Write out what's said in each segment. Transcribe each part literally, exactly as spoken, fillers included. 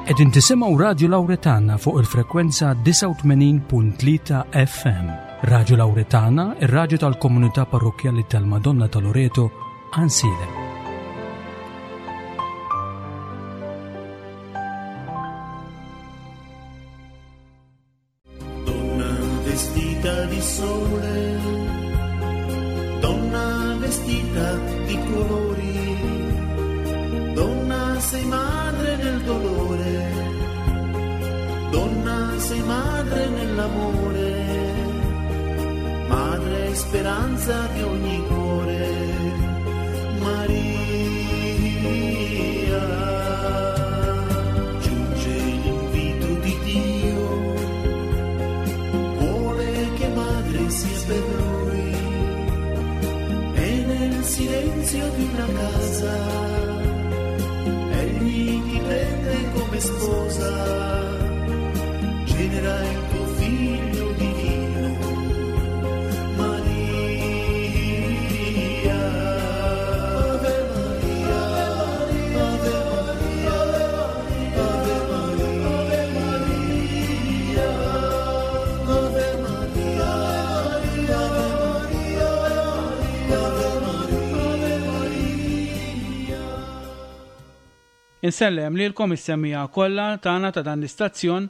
Qegħdin tisimgħu Radju Lawretana fuq il-frekwenza disgħa u tmenin punt tlieta F M. Radju Lawretana, ir-radju tal-komunità parrokkjali tal-Madonna ta' Loreto, Għajnsielem. Donna vestita di sole, donna vestita di colori, donna sei madre nel dolore, donna sei madre nell'amore, madre e speranza di ogni cuore, Maria. Giunge l'invito di Dio, vuole che madre sia per lui, e nel silenzio di una casa egli ti prende come sposa, genera il tuo figlio divino, Maria. Ave Maria, Ave Maria, Ave Maria, Ave Maria, Ave Maria, Ave Maria. Insellem lilkom is-semmiegħa kollha tagħna ta' dan l-istazzjon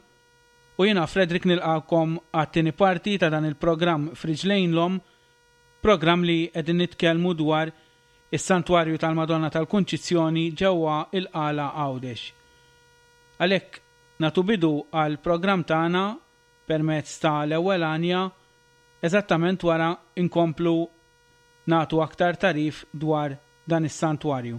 u jiena Frederick nilqakom għat-tieni parti ta' dan il-programm Friġlejn l-Omm, programm li qegħdin nitkellmu dwar is-Santwarju tal-Madonna tal-Kunċizzjoni ġewwa il-Qala Għawdex. Għalhekk nagħtu bidu għal programm tagħna permezz ta' l-ewwel għanja, eżattament wara inkomplu nagħtu aktar tarif dwar dan is-santwarju.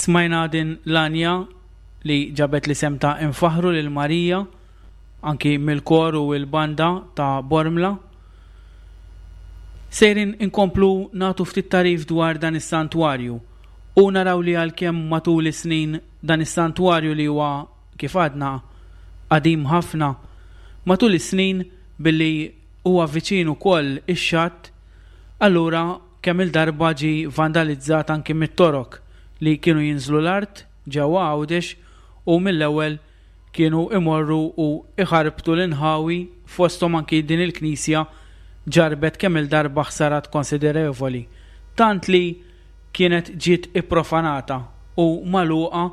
Smajna din l-anja li ġabet li sem ta' infaħru lil Marija anki mill-kor u l-banda ta' Bormla. Sejrin inkomplu nagħtu ftit tarif dwar dan is-santwarju u naraw li għalkemm matul is-snin dan is-santwarju li huwa kif għadna qadim ħafna, matul is-snin billi huwa viċin ukoll ix-xatt, allura kemm il-darba ġie vandalizzat anki mit-torok li kienu jinżlu l-art ġewwa Għawdex u mill-ewwel kienu imorru u iħarbtu l-inħawi fosthom anki din il-knisja ġarbet kemm-il darba ħsarat konsiderevoli, tant li kienet ġiet ipprofanata u magħluqa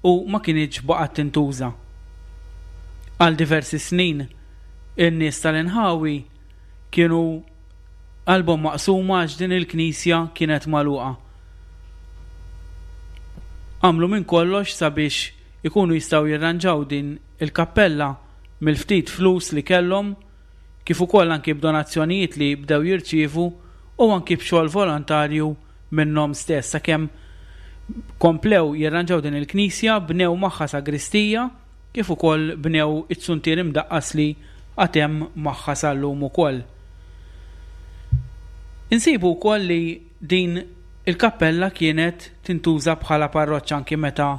u ma kinitx baqgħet tintuża. Għal diversi snin, in-nies tal-inħawi kienu qalbhom maqsuma għax din il-knisja kienet magħluqa. Għamlu minn kollox sabiex ikunu jistgħu jirranġaw din il-kappella mill-ftit flus li kellhom, kif ukoll anki b'donazzjonijiet li bdew jirċievu u anki b'xogħol volontarju minnhom stess, sakemm komplew jirranġaw din il-knisja, bnew magħha sagristija, kif ukoll bnew it-suntier imdaqqas li għad hemm magħha sal-lum ukoll. Insibu wkoll li din il-kappella kienet tintuża bħala parroċċa anki meta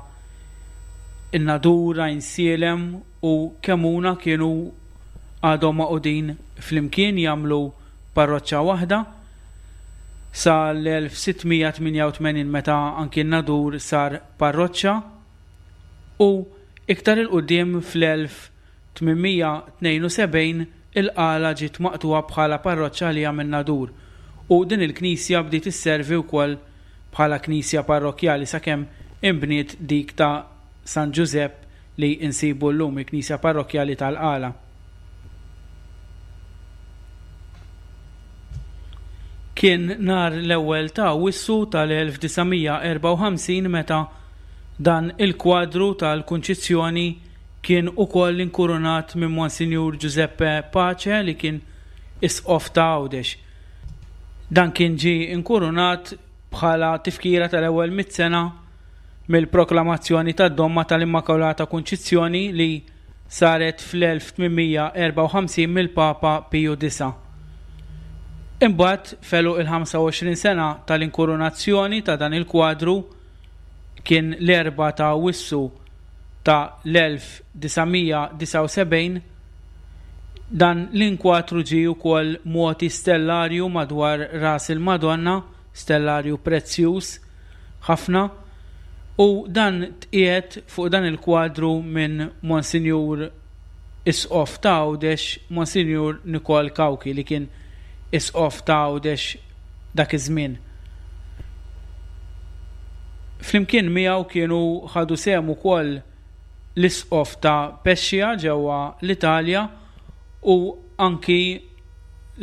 in-Nadur, Għajnsielem u Kemuna kienu għadhom maqudin flimkien jagħmlu parroċċa waħda sa l-elf sittmija tmienja u tmenin meta anki n-Nadur sar parroċċa, u iktar il-qudiem fl-elf tmienmija tnejn u sebgħin il-Qala ġiet maqtuha bħala parroċċa għalija min-Nadur, u din il-knisja bdiet isservi wkoll bħala knisja parrokkjali sakemm inbniet dik ta' San Ġużepp li insibu llum, il-knisja parrokkjali tal-Qala. Kien nhar l-ewwel ta' Awwissu tal-elf disa' mija erbgħa u ħamsin meta dan il-kwadru tal-Kunċizzjoni kien ukoll inkurunat minn Monsinjur Giuseppe Pace li kien isqof ta' Għawdex. Dan kien ġie inkurunat bħala tifkira tal-ewwel mitt sena mill-proklamazzjoni tad-domma tal-Immakulata Kunċizzjoni li saret fl-elf tmienmija erbgħa u ħamsin mill-Papa Piju disa'. Imbagħad felu il-ħamsa u għoxrin sena tal-inkurunazzjoni ta' dan il-kwadru kien l-erbgħa ta' Awwissu ta' l-elf disa' mija disa' u sebgħin. Dan l-inkwatru ġie wkoll mogħti stellarju madwar ras il-Madonna, stellarju prezzjuż ħafna, u dan tqiegħed fuq dan il-kwadru minn Monsinjur Isqof ta' Għawdex, Monsinjur Nikol Cauchi, li kien Isqof ta' Għawdex dak iż-żmien. Flimkien miegħu kienu ħadu sehem ukoll l-Isqof ta' Pescia ġewwa l-Italja u anki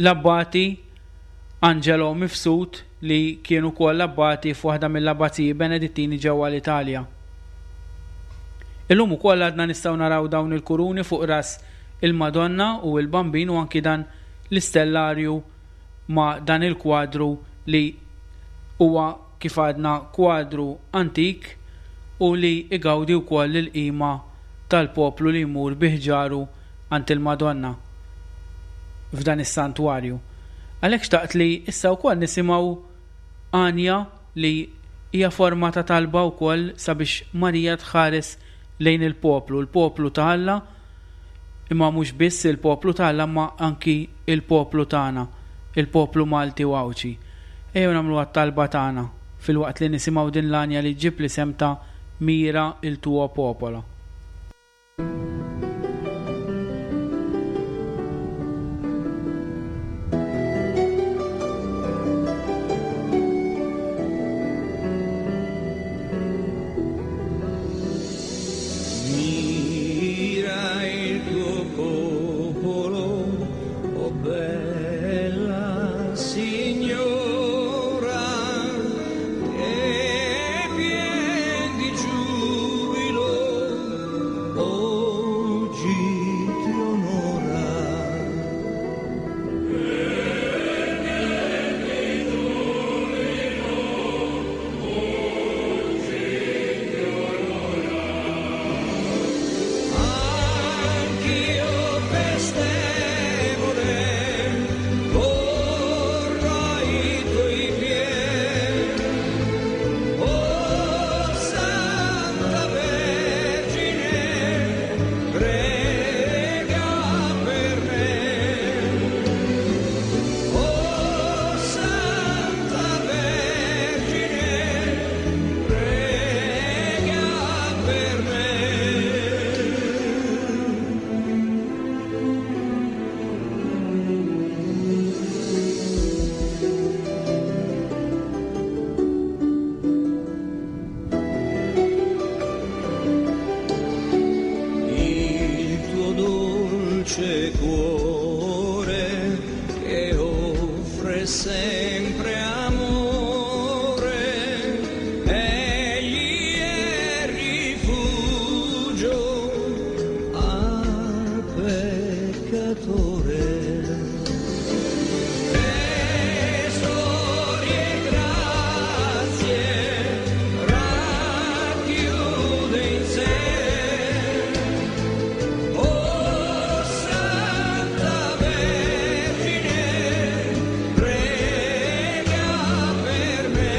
l-Abbati Angelo Mifsud li kienu ukoll abbati f'waħda mill-abbaziji Benedittini ġewwa l-Italja. Illum ukoll għadna nistgħu naraw dawn il-kuruni fuq ras il-Madonna u l-Bambin u anki dan l-istellarju ma' dan il-kwadru li huwa kif għadna kwadru antik u li igawdi wkoll il-qima tal-poplu li jmur biħġaru għand il-Madonna f'dan is-santwarju. Għalhekk xtaqt li issa wkoll nisimgħu għanja li hija forma ta' talba wkoll sabiex Marija tħares lejn il-poplu, il-poplu ta' Alla, imma mhux biss il-poplu ta' Alla, imma anki il-poplu tagħna, il-poplu Malti u Għawdxi. Ejjew nagħmlu għat-talba tagħna fil-waqt li nisimgħu din l-għanja li ġġib l-isem ta' Mira il tuo popolo. Mira il tuo popolo, oh bella signora, che pien di giubilo Dolce cuore che offre sempre amore, egli è rifugio al peccatore. Tesori e grazie racchiude in sé. Oh Santa Vergine, prega per me.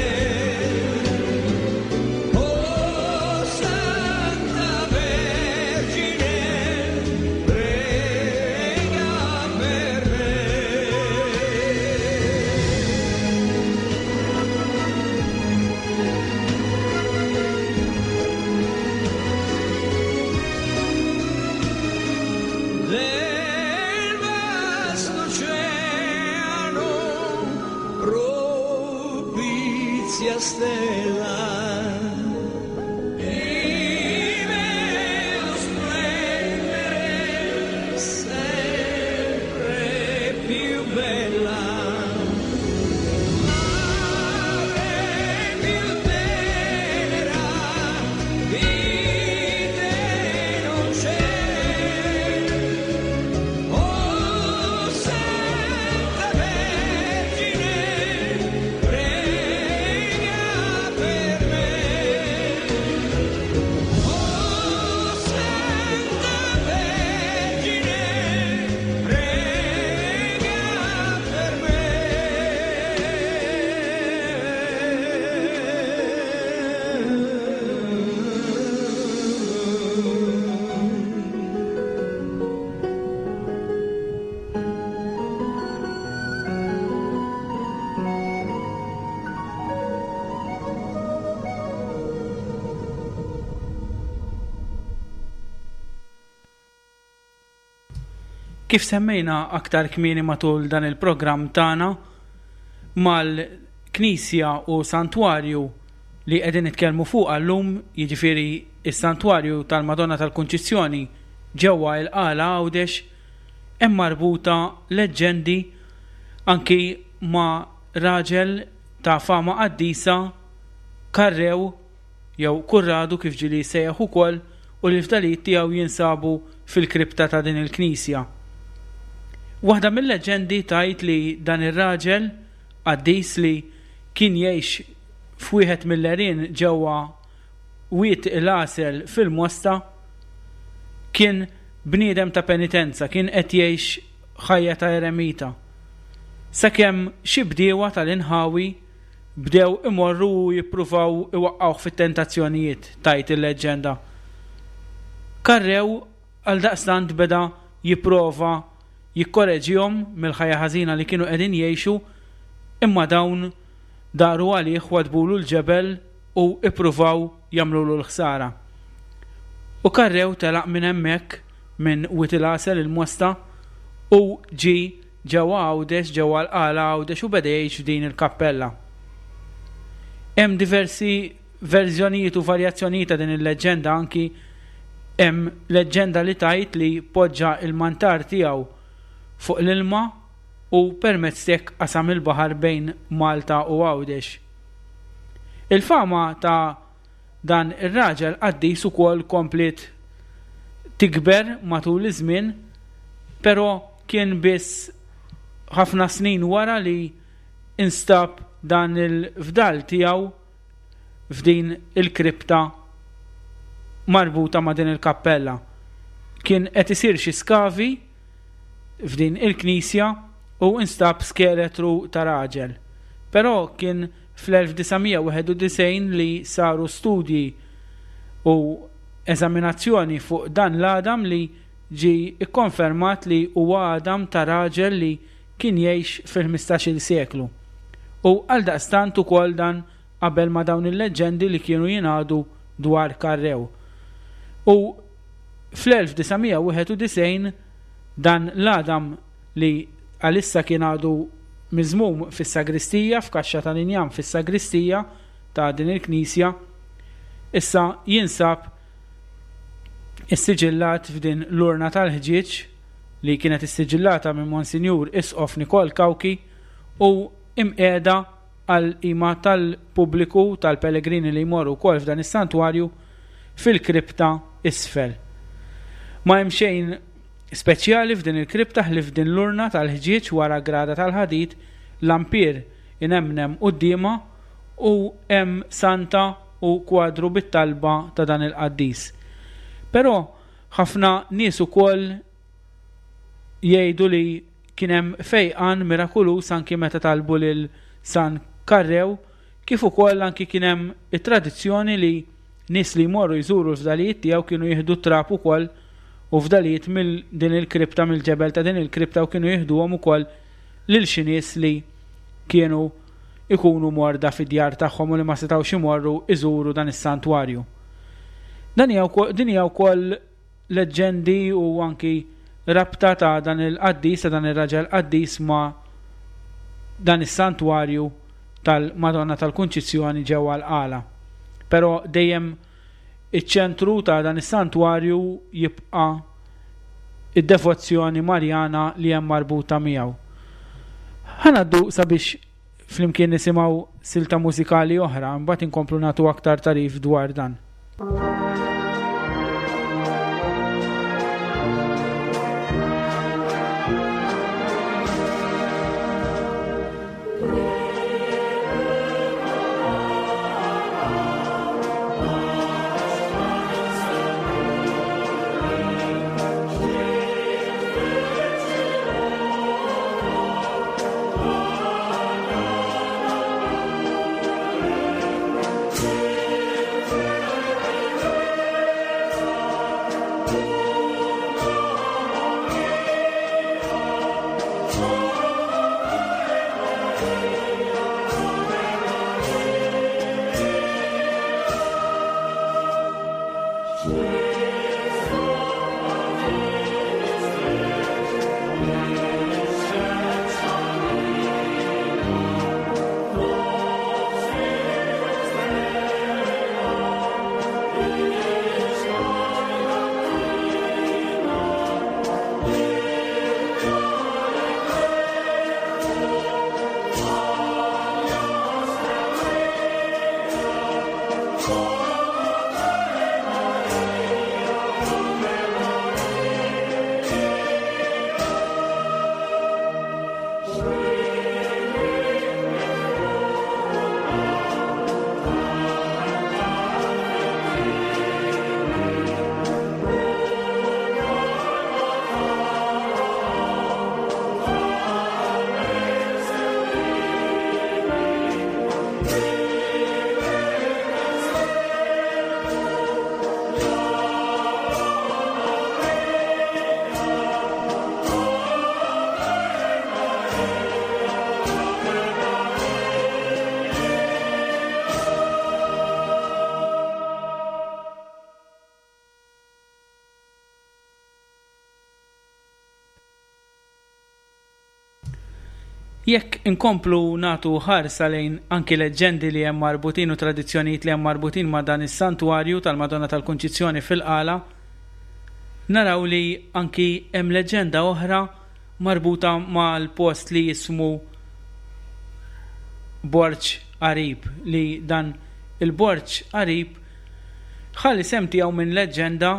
Oh Santa Vergine, prega per me. Del vasto oceano propizia stella, ti vedo splendere sempre più bella. Madre più tenera di te non c'è. Oh Santa Vergine, prega per me. Oh Santa Vergine, prega per me. Kif semmejna aktar kmieni matul dan il-programm tagħna mal-Knisja u Santwarju li qegħdin nitkellmu fuq llum, jiġifieri is-Santwarju tal-Madonna tal-Kunċizzjoni ġewwa l-Qala Għawdex, hemm marbuta leġġendi anki ma' raġel ta' fama qaddisa Karrew jew Kurradu kif ġieli sejjaħ ukoll, u li l-fdalijiet tiegħu jinsabu fil-kripta ta' din il-knisja. Waħda mill-leġendi tgħid li dan ir-raġel qaddis li kien jgħix f'wieħed mill-għerien ġewwa Wied il-Għasel fil-Mosta kien bniedem ta' penitenza, kien qed jgħix ħajja ta' eremita. Sakemm xi bdiewa tal-inħawi bdew imorru u jippruvaw iwaqqgħuh fit-tentazzjonijiet, tgħid il-leġġenda. Karrew għaldaqstant beda jipprova jikkoreġihom mill-ħajja ħażina li kienu qegħdin jgħixu, imma dawn daru għalih wadbulu l-ġebel u ippruvaw jagħmlulu l-ħsara. U Karrew telaq minn hemmhekk minn Wied il-Għasel il-Mosta u ġie ġewwa Għawdex, ġewwa l-Qala Għawdex, u beda jgħix f'din il-kappella. Hemm diversi verżjonijiet u varjazzjonijiet ta' din il-leġġenda, anki hemm leġġenda li tgħid li poġġa il-mantar tiegħu fuq l-ilma u permezz t'hekk qasam il-baħar bejn Malta u Għawdex. Il-fama ta' dan ir-raġel qaddis ukoll kompliet tikber matul iż-żmien, però kien biss ħafna snin wara li instab dan il-fdal tiegħu f'din il-kripta marbuta ma' din il-kappella. Kien qed isir xi skavi f'din il-knisja u instab skeletru ta' raġel. Però kien fl-elf disa' mija wieħed u disgħin li saru studji u eżaminazzjoni fuq dan l-għadam li ġie ikkonfermat li huwa għadam ta' raġel li kien jgħix fil-ħmistax-il seklu. U għaldaqstant ukoll dan qabel ma dawn il-leġġendi li kienu jingħadu dwar Karrew. U fl-elf disa' mija wieħed u disgħin dan l-għadam li għalissa kien għadu miżmum fis-sagristija, f'kaxxa tal-injam fis-sagristija ta' din il-knisja, issa jinsab issiġillat f'din l-urna tal-ħġieġ li kienet issiġillata minn Monsinjur Isqof Nikol Cauchi u imqiegħda għal qima tal-pubbliku tal-pellegrini li jmorru wkoll f'dan is-santwarju fil-kripta isfel. Ma hemm xejn speċjali f'din il-kripta ħlief din l-urna tal-ħġieġ wara grada tal-ħadid, lampier inemnem quddiemha u hemm santa u kwadru bit-talba ta' dan il-qaddis. Però ħafna nies ukoll jgħidu li kien hemm fejqan mirakuluż anki meta talbu lil San Karrew, kif ukoll anki kien hemm it-tradizzjoni li nies li jmorru jżuru l-fdalijiet tiegħu kienu jieħdu trab ukoll u fdalijiet mill din il-kripta, mill-ġebel ta' din il-kripta, u kienu jieħduhom ukoll lil xi nies li kienu ikunu morda fid-djar tagħhom u li ma setgħux imorru iżuru dan is-santwarju. Dan hija wkoll, din hija wkoll leġġendi u anki rabta ta' dan il-qaddis, ta' dan ir-raġel qaddis ma' dan is-santwarju tal-Madonna tal-Kunċizzjoni ġewwa l-Qala. Però dejjem iċ-ċentru ta' dan is-santwarju jibqa' id-devozzjoni Marjana li hemm marbuta miegħu. Ħa ngħaddu sabiex flimkien nisimgħu silta mużikali oħra, mbagħad inkomplu nagħtu aktar tarif dwar dan. Jekk inkomplu natu ħarsa lejn anki leġġendi li hemm marbutin u tradizzjonijiet li hemm marbutin ma' dan is-santwarju tal-Madonna tal-Kunċizzjoni fil-Qala, naraw li anki hemm leġġenda oħra marbuta mal-post li jismu Borġ Għarib, li dan il-Borġ Għarib ħalli sem tiegħu minn leġġenda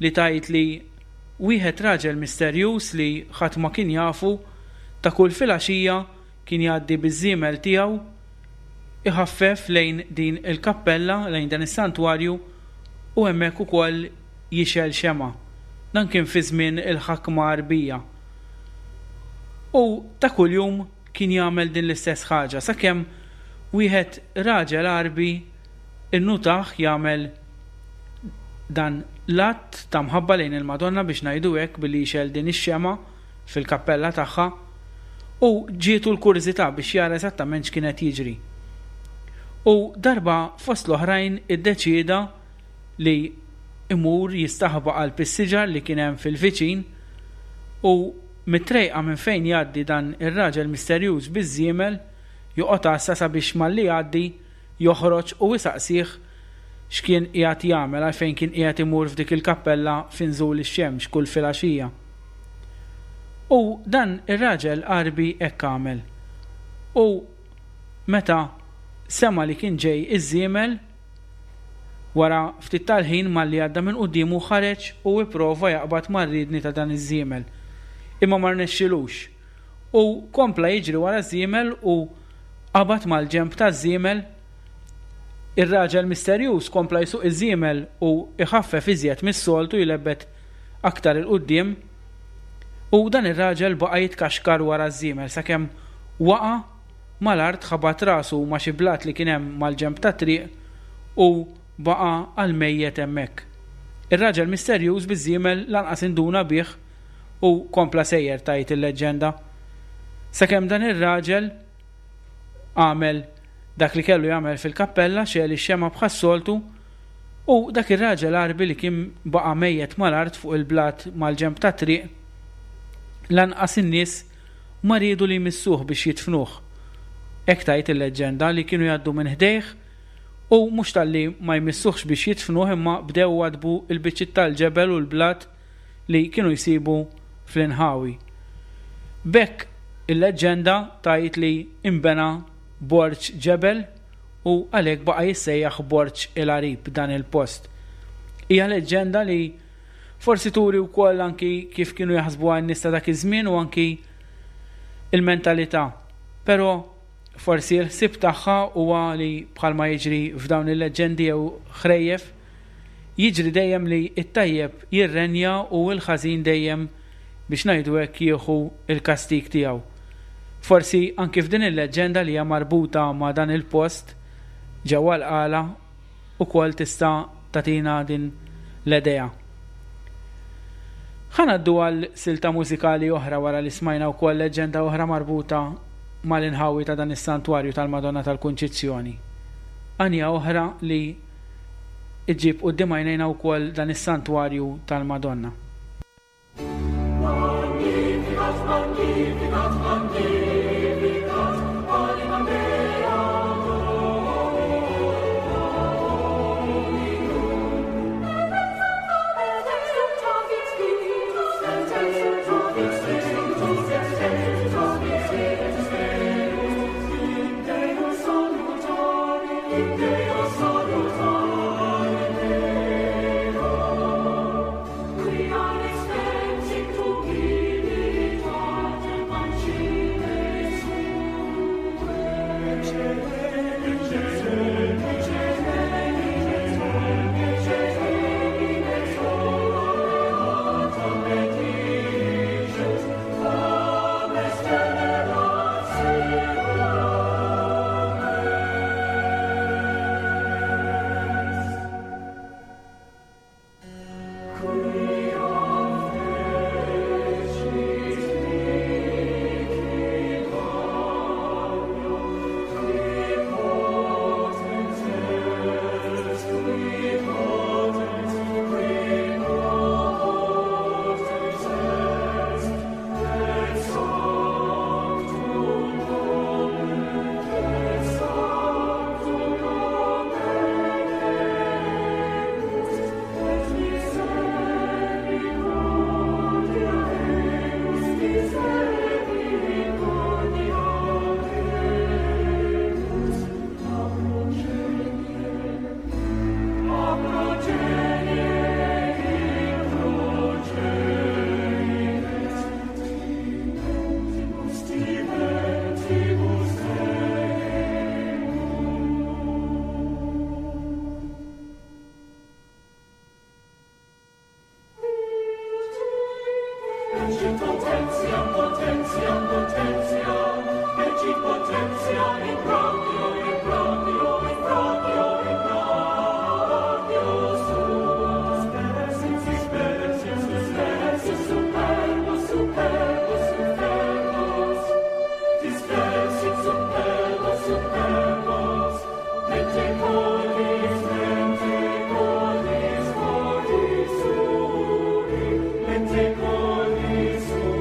li tgħid li wieħed raġel misterjuż li ħadd ma kien jafu ta' kull filgħaxija kien jgħaddi biż-żiemel tiegħu iħaffef lejn din il-kappella, lejn dan is-santwarju, u hemmhekk ukoll jixgħel xemgħa. Dan kien fi żmien il-ħakma Għarbija. U ta' kuljum kien jagħmel din l-istess ħaġa sakemm wieħed raġel Għarbi innutaħ jagħmel dan l-att ta' mħabba lejn il-Madonna, biex ngħidu hekk, billi jixgħel din ix-xemgħa fil-kappella tagħha, u ġietu l-kurżità biex jara eżattament x'kien qed jiġri. U darba fost l-oħrajn iddeċieda li imur jistaħba qalb is-siġar li kien hemm fil-viċin, u mit-trejqa minn fejn jgħaddi dan ir-raġel misterjuż biż-żiemel joqgħod għassa sabiex malli jgħaddi joħroġ u isaqsih x'kien qiegħed jagħmel, għalfejn kien qiegħed imur f'dik il-kappella fi nżul ix-xemx kull filgħaxija. U dan ir-raġel Għarbi hekk għamel. U meta sema li kien ġej iż-żiemel, wara ftit tal-ħin malli għadda minn quddiemu ħareġ u ipprova jaqbad mar-riedni ta' dan iż-żiemel. Imma ma rnexxilux. U kompla jiġri wara ż-żiemel u qabad mal-ġenb taż-żiemel. Ir-raġel misterjuż kompla jsuq iż-żiemel u iħaffef iżjed mis-soltu, jlebbet aktar 'il quddiem. U dan ir-raġel baqa' jitkaxkar wara ż-żiemel sakemm waqa' mal-art, ħabat rasu ma' xi blat li kien hemm mal-ġenb tat-triq u baqa' għal mejjet hemmhekk. Ir-raġel misterjuż biż-żiemel lanqas induna bih u kompla sejjer, tgħid il-leġġenda. Sakemm dan ir-raġel għamel dak li kellu jagħmel fil-kappella, xegħel ix-xemgħa bħas-soltu, u dak ir-raġel Għarbi li kien baqa' mejjet mal-art fuq il-blat mal-ġenb tat-triq, lanqas in-nies ma riedu li jmissuh biex jidfnuh. Hekk tgħid il-leġġenda li kienu jgħaddu minn ħdejh u mhux talli ma jmissuhx biex jidfnuh, imma bdew wadbu l-biċċiet tal-ġebel u l-blat li kienu jsibu fl-inħawi. B'hekk il-leġġenda tgħid li imbena borġ ġebel u għalhekk baqa' jissejjaħ Borġ il-Għarib dan il-post. Hija leġġenda li forsi turi wkoll anki kif kienu jaħsbuha n-nies ta' dak iż-żmien u anki il-mentalità. Però forsi l-ħsieb tagħha huwa li bħalma jiġri f'dawn il-leġġendi jew ħrejjef, jiġri dejjem li t-tajjeb jirrenja u l-ħażin dejjem, biex ngħidu hekk, jieħu l-kastig tiegħu. Forsi anki f'din il-leġġenda li hija marbuta ma' dan il-post ġewwa l-Qala ukoll tista' tagħtina din l-idea. Ħa ngħaddu għal silta mużikali oħra wara li smajna wkoll leġġenda oħra marbuta mal-inħawi ta' dan is-santwarju tal-Madonna tal-Kunċizzjoni. Għanja oħra li ġġib quddiem għajnejna wkoll dan is-santwarju tal-Madonna. Magnificat, magnificat, magnificat, anima mea Dominum. Et exultavit spiritus, et exultavit spiritus, et exultavit spiritus meus, in Deo salutare, in Deo salutare meo. Quia respexit humilitate pancile sue. Ecce, ecce, ecce, ecce, ecce, ecce, Ecce potentiam, potentiam, potentiam, ecce potentiam in proprio, in proprio, in proprio, in proprio suo. Spersi, spersi, spersi, superbos, superbos, superbos, dispersi, superbos, superbos, mente cordis, mente cordis, cordis uni, mente cordis uni.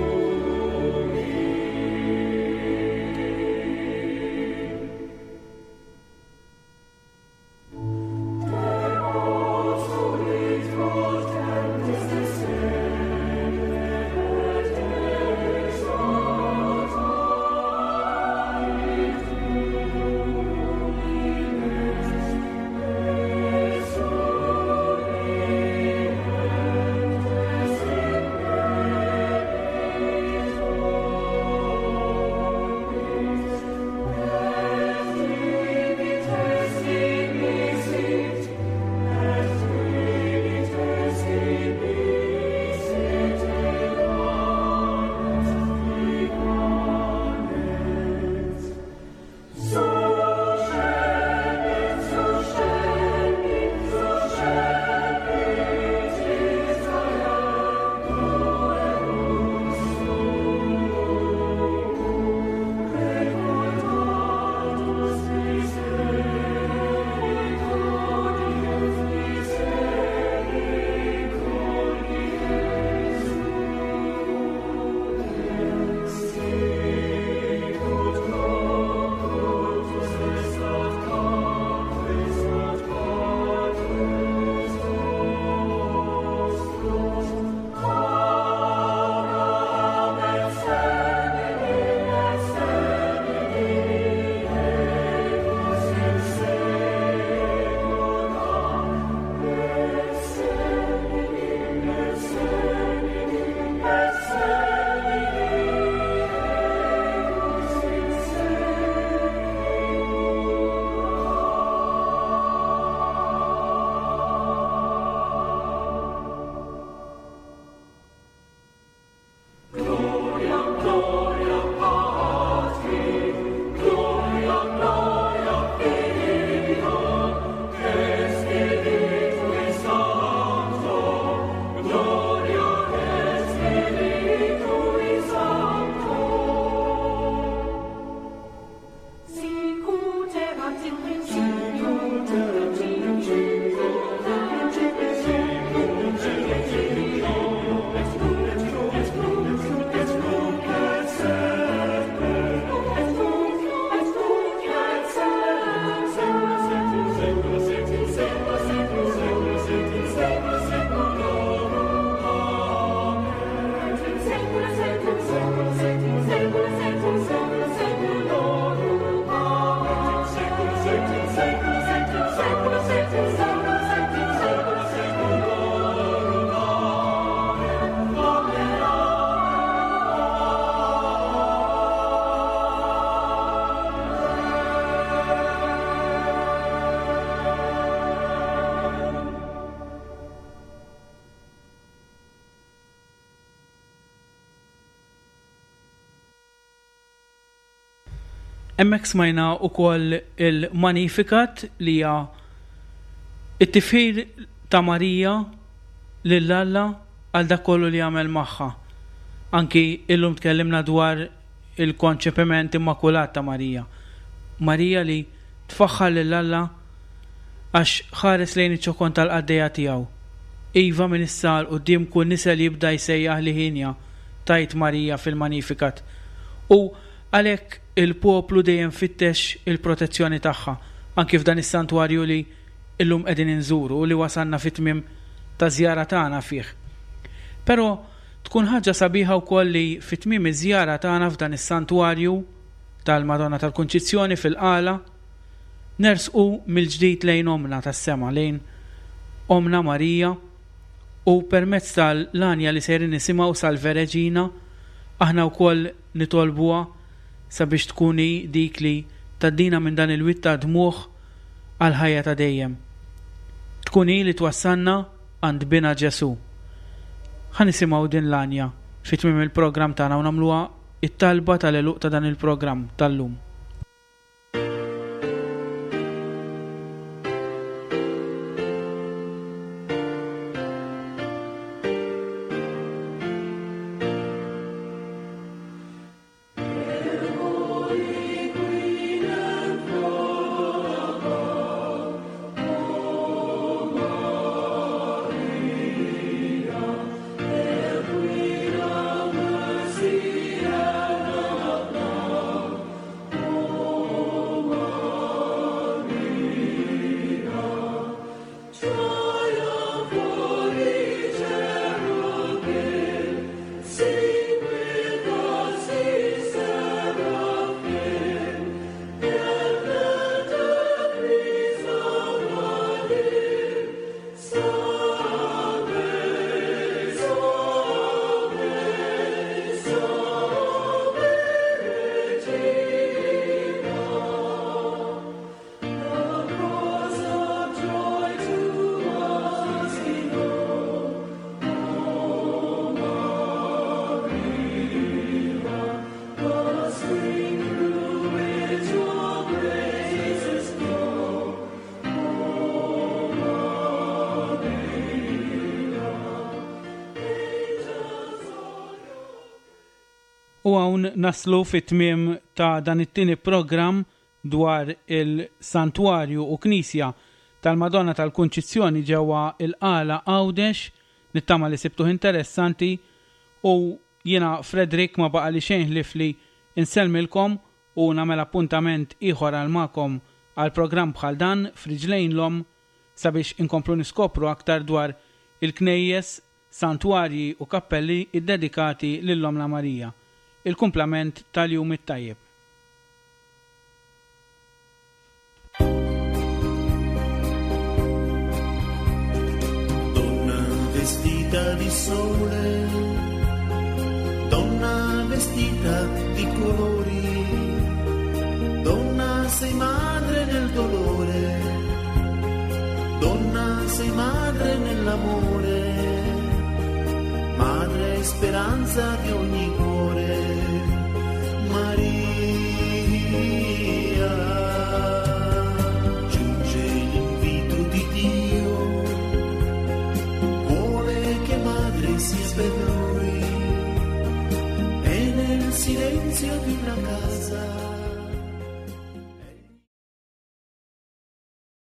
Hemmhekk smajna wkoll il-Magnificat li hija it-tifħir ta' Marija lil Alla għal dak kollu li għamel magħha. Anki illum tkellimna dwar il-konċepiment immakulat ta' Marija. Marija li tfaħħar lil Alla għax ħares lejn iċ-ċokon tal-qaddejja tiegħu. Iva minn issa 'l quddiem kull nisel jibda jsejjaħ li ħinja tajt Marija fil-Magnificat. U għalhekk il-poplu dejjem fittex il-protezzjoni tagħha, anki f'dan is-santwarju li illum qegħdin inżuru u li wasalna fit-tmiem ta' żjara tagħna fih. Però tkun ħaġa sabiħa wkoll li fit-tmiem iż-żjara tagħna f'dan is-santwarju tal-Madonna tal-Kunċizzjoni fil-Qala nersqu mill-ġdid lejn Omna tas-sema, lejn Omna Marija, u permezz tal-għanja li sejrin nisimgħu Salve Regina aħna wkoll nitolbuha sabiex tkun hi dik li tgħaddina minn dan il-wied ta' dmugħ għal ħajja ta' dejjem. Tkun hi li twassalna għand bina Ġesu. Ħa nisimgħu din l-għanja fi tmiem il-programm tagħna u nagħmluha it-talba tal-għeluq ta' dan il-programm tal-lum. U hawn naslu fit-tmiem ta' dan it-tieni programm dwar il-Santwarju u Knisja tal-Madonna tal-Kunċizzjoni ġewwa il-Qala Għawdex. Nittama li sibtuh interessanti u jiena Frederick ma baqa li xejn ħlief li insellmilkom u nagħmel appuntament ieħor għal magħkom għal programm bħal dan f'Riġlejn l-Omm sabiex inkomplu niskopru aktar dwar il-knejjes, santwarji u kappelli iddedikati lil Ommna Marija. Il-kumplament tal-jum it-tajjeb. Donna vestita di sole, donna vestita di colori, donna sei madre nel dolore, donna sei madre nell'amore, madre e speranza di ogni cuore, Maria. Giunge l'invito di Dio, vuole che madre sia per lui, e nel silenzio di una casa.